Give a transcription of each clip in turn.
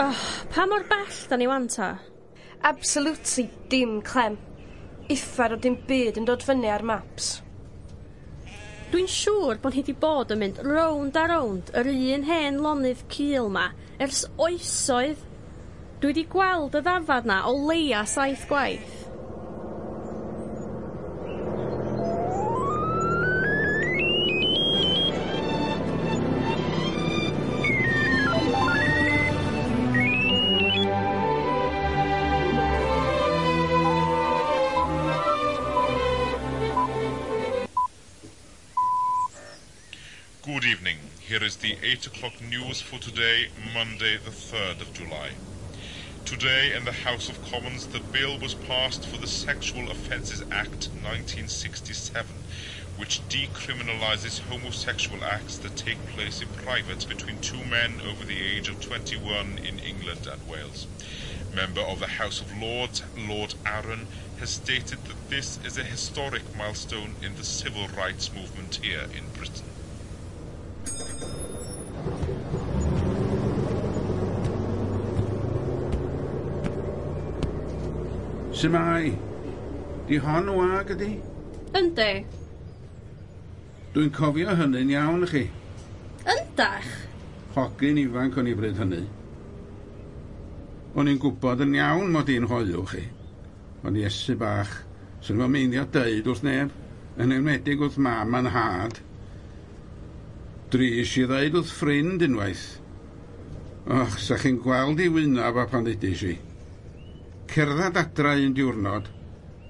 Oh, pa mor bell da ni wan ta? Absolutely dim clem. Uffar o dim byd yn dod fyny ar maps. Dwi'n siŵr bod hi 'di bod yn mynd rownd a rownd yr un hen lonydd cul 'ma ers oesoedd. Dwi 'di gweld y ddafad 'na o leia 7 gwaith. Good evening. Here is the 8 o'clock news for today, Monday, the 3rd of July. Today in the House of Commons, the bill was passed for the Sexual Offences Act 1967, which decriminalises homosexual acts that take place in private between two men over the age of 21 in England and Wales. Member of the House of Lords, Lord Aaron, has stated that this is a historic milestone in the civil rights movement here in Britain. Shwmae? Di hon wag ydi? Yndi. Dwi'n cofio hynny'n iawn i chi. Yndach? Hogyn ifanc o'n i bryd hynny. O'n i'n gwybod yn iawn mod i'n hoyw chi. O'n i Iesu bach, swn i'm yn meindio deud wrth neb, yn enwedig wrth mam a'n nhad. Dris i ddeud wrth ffrind unwaith. Och, sa chi'n gweld i wynaf a pan ddudis i. Cerdded adra un diwrnod,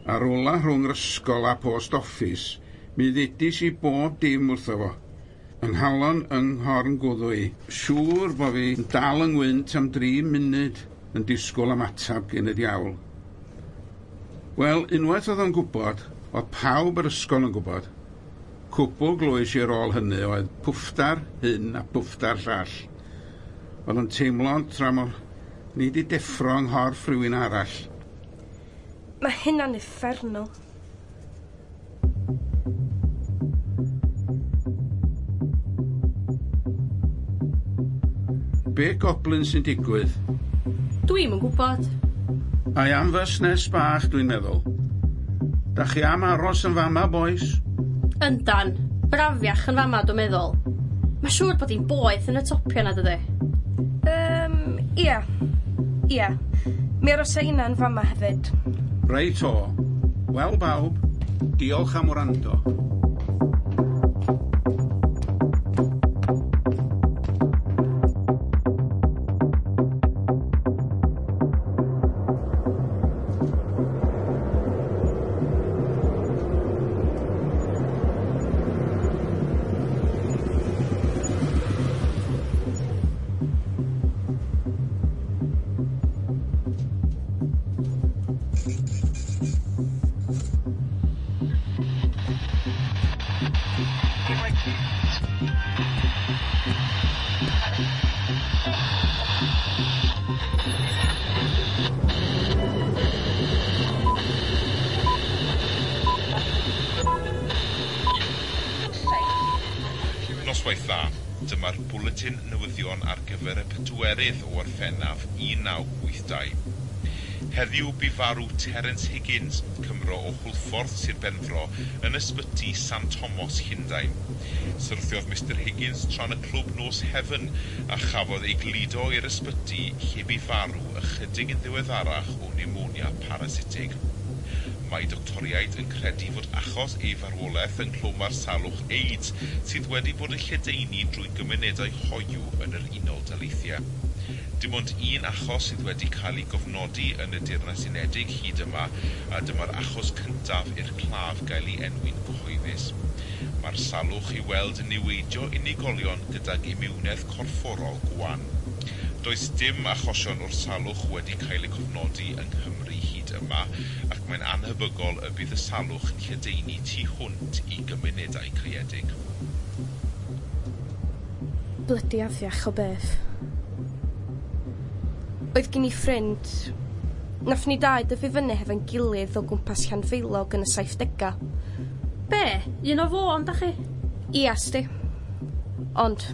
ar ola rhwng yr ysgol a post office, mi ddudis i bob dim wrtho fo. Yng nghalon yng nghorn gwddw i, siŵr bo fi yn dal yng ngwynt am 3 munud yn disgwyl am atab gen y diawl. Wel, unwaith oedd o'n gwybod, oedd pawb yr ysgol yn gwybod. Cwbl glwys i ar ôl hynny oedd pwffdar hyn a pwffdar llall. Oedd o'n teimlo tra mor ni di deffro yng nghorff rhywun arall. Mae hynna'n uffernol. Be goblin sy'n digwydd? Dwi'm yn gwybod. Ai am fusnes bach, dwi'n meddwl. Da chi am aros yn fama, boys? Yndan, brafiach yn fama, dwi'n meddwl. Mae siŵr bod hi'n boeth yn y topia na, dydy? Ia. Ia. Mi arosa inna yn fama hefyd. Reit o. Wel, bawb, diolch am wrando. Noswaith dda, dyma'r bwletin newyddion ar gyfer y 4 o Orffennaf 1982. Heddiw bu farw Terence Higgins, Cymro o Hwlffordd, Sir Benfro, yn ysbyty St Thomas, Llundain. Syrthiodd Mr Higgins tra'n y clwb nos Heaven a chafodd ei gludo i'r ysbyty lle bu farw ychydig yn ddiweddarach o pneumonia parasitig. Mae doctoriaid yn credu fod achos ei farwolaeth yng nghlwm salwch AIDS sydd wedi bod yn lledaenu drwy gymunedau hoyw yn yr Unol Daleithiau. Dim ond un achos sydd wedi cael ei gofnodi yn y Deyrnas Unedig hyd yma, a dyma'r achos cyntaf i'r claf gael ei enwi'n gyhoeddus. Mae'r salwch i weld yn niweidio unigolion gydag imiwnedd corfforol gwan. Does dim achosion o'r salwch wedi cael ei cofnodi yng Nghymru hyd yma, ac mae'n anhebygol y bydd y salwch yn lledaenu tu hwnt i gymunedau caeedig. Blydi afiach o beth. Oedd gen i ffrind. Nath ni dau dyfu fyny hefo'n gilydd o gwmpas Llanfaelog yn y 70au. Be? Un o Fôn, da chi? Ia, sti. Ond,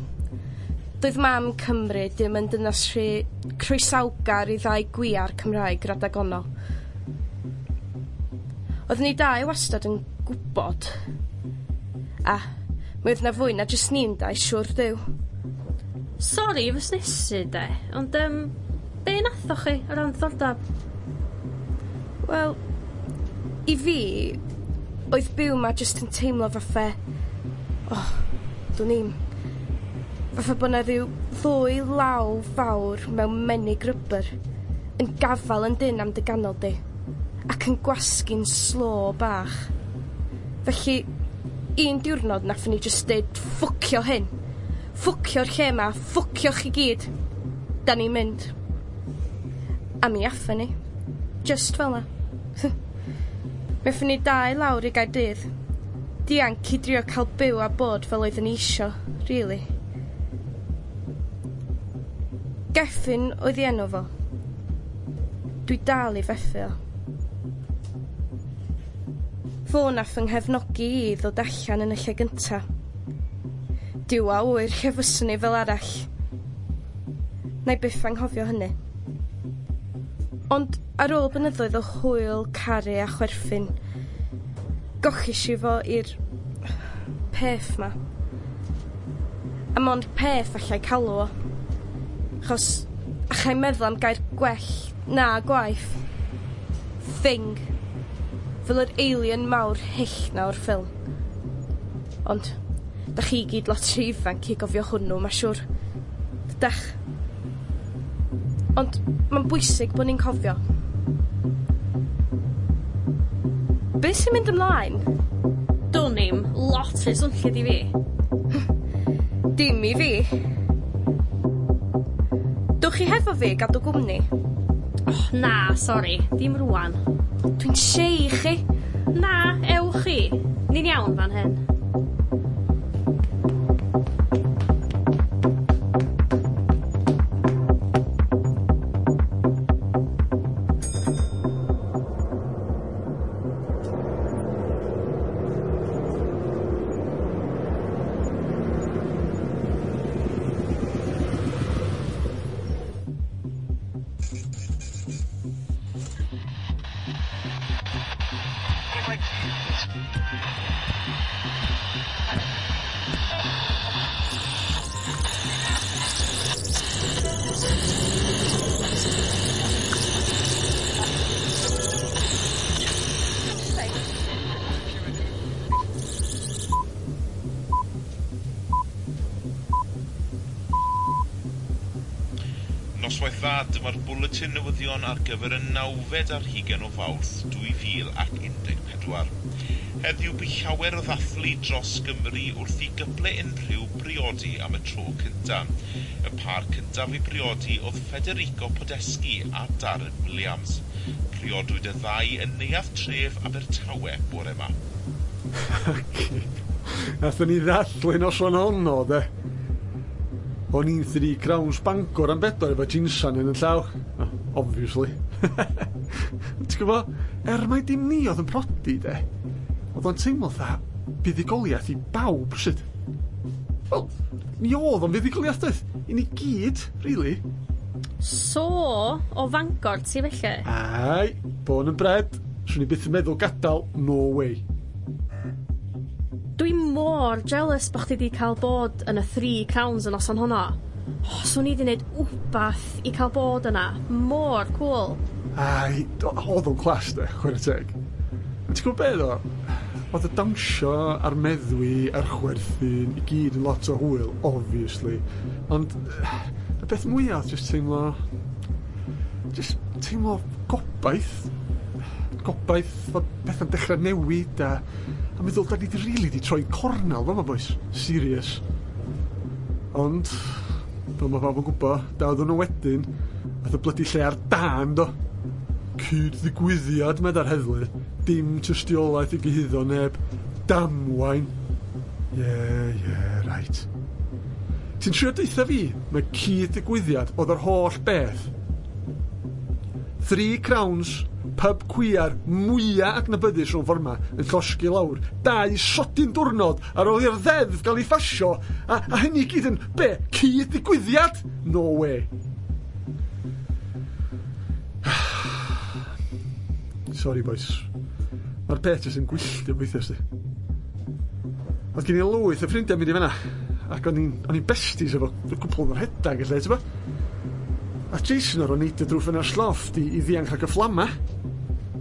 Doedd mam Cymru dim yn dynas rhy croesawgar i ddau gwiar Cymraeg radag ono. Oeddwn ni dau wastad yn gwybod. A mi oedd 'na fwy na jyst ni'n dau, siŵr Duw. Sori fusnesu de, ond be nathoch chi o ran ddiddordab? Wel, i fi, oedd byw 'ma jyst yn teimlo fatha, oh, dwn i'm, fatha bo' 'na ryw ddwy law fawr mewn menig rybr yn gafal yn dyn am dy ganol di, ac yn gwasgu'n slo bach. Felly, un diwrnod nathon ni jyst deud ffwcio hyn, ffwcio'r lle 'ma, ffwcio chi gyd. Da ni'n mynd. A mi athon ni. Just fel 'na. Mi athon ni dau lawr i Gaerdydd. Dianc i drio cael byw a bod fel oeddwn ni isio, really. Gethin oedd 'i enw fo. Dwi dal i fethu o. Fo nath fy nghefnogi i ddod allan yn y lle gynta. Duw a ŵyr lle fyswn i fel arall. Na'i byth anghofio hynny. Ond ar ôl blynyddoedd o hwyl, caru a chwerthin, gochish i fo i'r peth 'ma. A mond peth allai calw o. Achos allai meddwl am gair gwell na gwaith. Thing. Fel yr alien mawr hyll 'na o'r ffilm. Ond da chi gyd lot rhy ifanc i gofio hwnnw, ma' siŵr. Dydach? Ond mae'n bwysig bod ni'n cofio. Be' sy'n mynd ymlaen? Dwn i'm, lot rhy swnllyd i fi. Dim i fi. Dwch chi hefo fi gadw gwmni? Oh, na, sori, dim rwan. Dwi'n siei chi. Na, ewch chi. Ni'n iawn fan hyn. Noswaith dda, dyma'r bwletin newyddion ar gyfer y 29 o Fawrth 2014. Heddiw bu llawer o ddathlu dros Gymru wrth i gyple unrhyw briodi am y tro cyntaf. Y pâr cyntaf i briodi oedd Federico Podeschi a Darren Williams. Priodwyd y ddau yn neuadd tref Abertawe bore yma. Nathon ni ddathlu noson honno, de. O'n i'n Three Crowns Bangor am bedwar efo ginsan yn y llaw. Obviously. Ti'n gwybod, mai dim ni oedd yn prodi, de, oedd o'n teimlo fatha buddugoliaeth i bawb, sut. Wel, mi oedd o'n fuddugoliaeth, doedd? I ni gyd, really. So, o Fangor ti felly? Ai, born and bred. Swn i byth yn meddwl gadael, no way. Dwi mor jealous bo' chdi 'di cael bod yn y Three Crowns y noson honno. Oh, swn i 'di neud wbath i cael bod yna. Mor cool. Ai, oedd o'n class de, chwarae teg. Ti'n gwybod be ddo? Oedd y dawnsio a'r meddwi a'r chwerthin i gyd yn lot o hwyl, obviously. Ond y beth mwyaf oedd just teimlo gobaith. Gobaith fod pethau'n dechrau newid a meddwl, da ni di really di troi cornel fama, boys. Serious. Ond, fel mae pawb yn gwybod, da oedden nhw wedyn, ath y blydi lle ar dân, do. Cyd-ddigwyddiad, medda'r heddlu. Dim tystiolaeth i gyhuddo neb. Damwain. Yeah, yeah, right. Ti'n trio deutha fi, mae cyd-ddigwyddiad oedd yr holl beth. Three Crowns, pub cwiar mwya adnabyddus rhwng ffordd 'ma yn llosgi lawr 2 sodyn diwrnod ar ôl i'r ddeddf gael ei phasio, a hynny i gyd yn, be, cyd-ddigwyddiad? No way. Sorry boys. Mae'r peth jyst yn gwylltio weithiau, sti. Oedd gen i lwyth o ffrindiau mynd i fanna, ac o'n i'n besties efo cwpl o'r rhedag, lle, ti'n bo? A Jason o'r o'n neidio drwy ffenast lofft i ddianc rhag y fflama.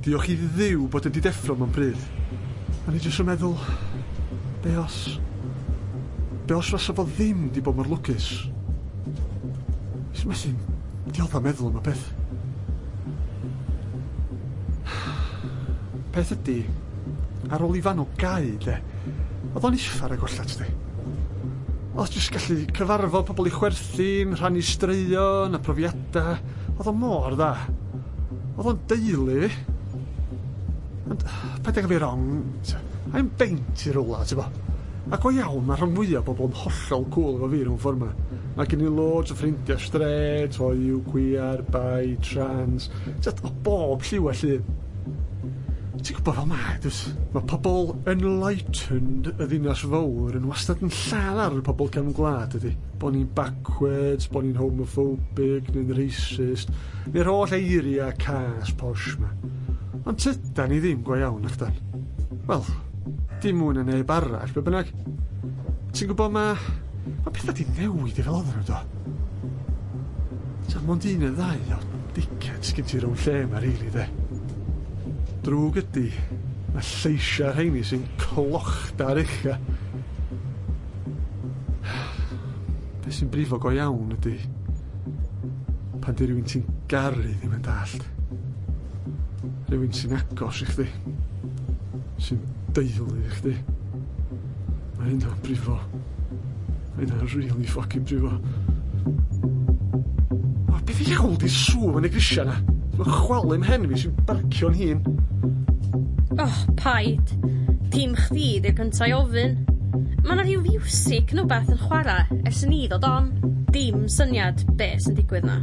Diolch i Dduw bod wedi deffro mewn pryd. O'n i jyst yn meddwl, be os fasa fo ddim di bod mor lwcus? Jyst methu diodda meddwl am y peth. Peth ydi, ar ôl i fanw gau, de, oedd o'n uffar ag ollat, di. Oedd jyst gallu cyfarfod pobl i chwerthin, rhannu straeon a profiadau. Oedd o mor dda. Oedd o'n deulu fi. Ond, paid â gael fi wrong, I'm beint i rwla, ti'n bo. Ac o iawn, mae rhan fwyaf o bobl yn hollol cool efo fi rhwng ffordd 'ma. Mae gen i loads o ffrindiau straight, hoyw, queer, bi, trans, just o bob lliw a llun. Ti'n gwybod fel mae, dwyt? Mae pobl enlightened y ddinas fawr yn wastad yn lladd ar y pobl cefn gwlad, ydy. Bo ni'n backwards, bo ni'n homophobic, neu'n racist, neu'r holl eiriau cas posh 'ma. Ond tydan ni ddim go iawn, nachdan? Wel, dim mwy na neb arall, be bynnag. Ti'n gwybod mae pethau di newid i fel oedden nhw, do? Ta, mond un neu ddau o dickheads gen ti rownd lle 'ma, rili, de. Drwg ydi, mae lleisiau rheini sy'n clochda ar ucha. Be sy'n brifo go iawn ydi, pan di rhywun ti'n garu ddim yn dallt. Rhywun sy'n agos i chdi, sy'n deulu i chdi. Mae hynna'n brifo. Mae hynna'n really fucking brifo. O, beth iawn di sŵn yn y grisia na? Mae'n chwalu mhen fi sy'n barcio'n hun. Oh, paid. Dim chdi di'r cynta i ofyn. Mae 'na rhyw fiwsig neu wbath yn chwarae ers i ni ddod on. Dim syniad be sy'n digwydd na.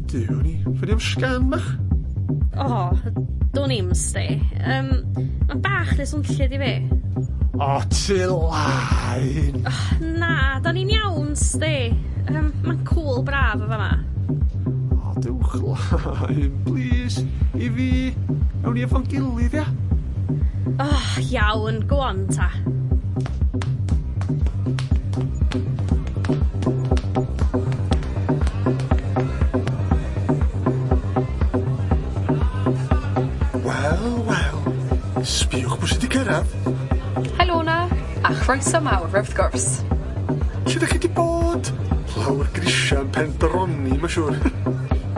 Duw ni, ffyni am sgan bach? O, dwn i'm sti. Mae'n bach rhy swnllyd i fi. O, ti lain! Oh, na, da ni'n iawn sti. Mae'n cool braf o fama. O, dewch lain, please, i fi. Awn ni efo'n gilydd, ia? Oh, iawn, go on ta. Wel, wel, sbiwch pwy sydd wedi cyrraedd. Helo na, a chroeso mawr wrth gwrs. Lle ydych chi wedi bod? Lawr grisiau yn Pendroni, mae'n siŵr.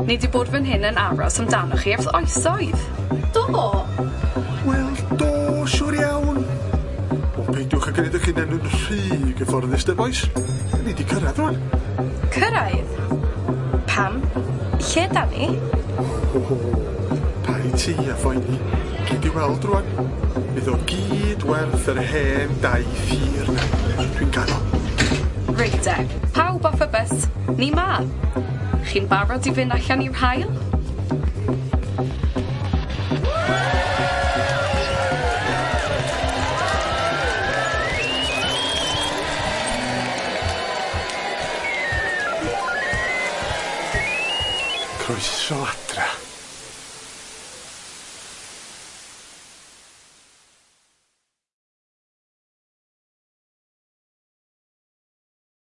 Ni wedi bod fan hyn yn aros amdanoch chi ers oesoedd. Do? Wel, do, siŵr iawn. O, peidiwch â gwneud eich hunain yn rhy gyfforddus, de, boys. Da ni wedi cyrraedd rwan. Cyrraedd? Pam? Lle da ni? O, paid ti a phoeni. Gyd i weld rwan. Fydd o gyd werth yr hen daith hir na. Dwi'n gaddo. Reit de, pawb off y bus. Ni ma. Chi'n barod i fynd allan i'r haul? Croeso adra.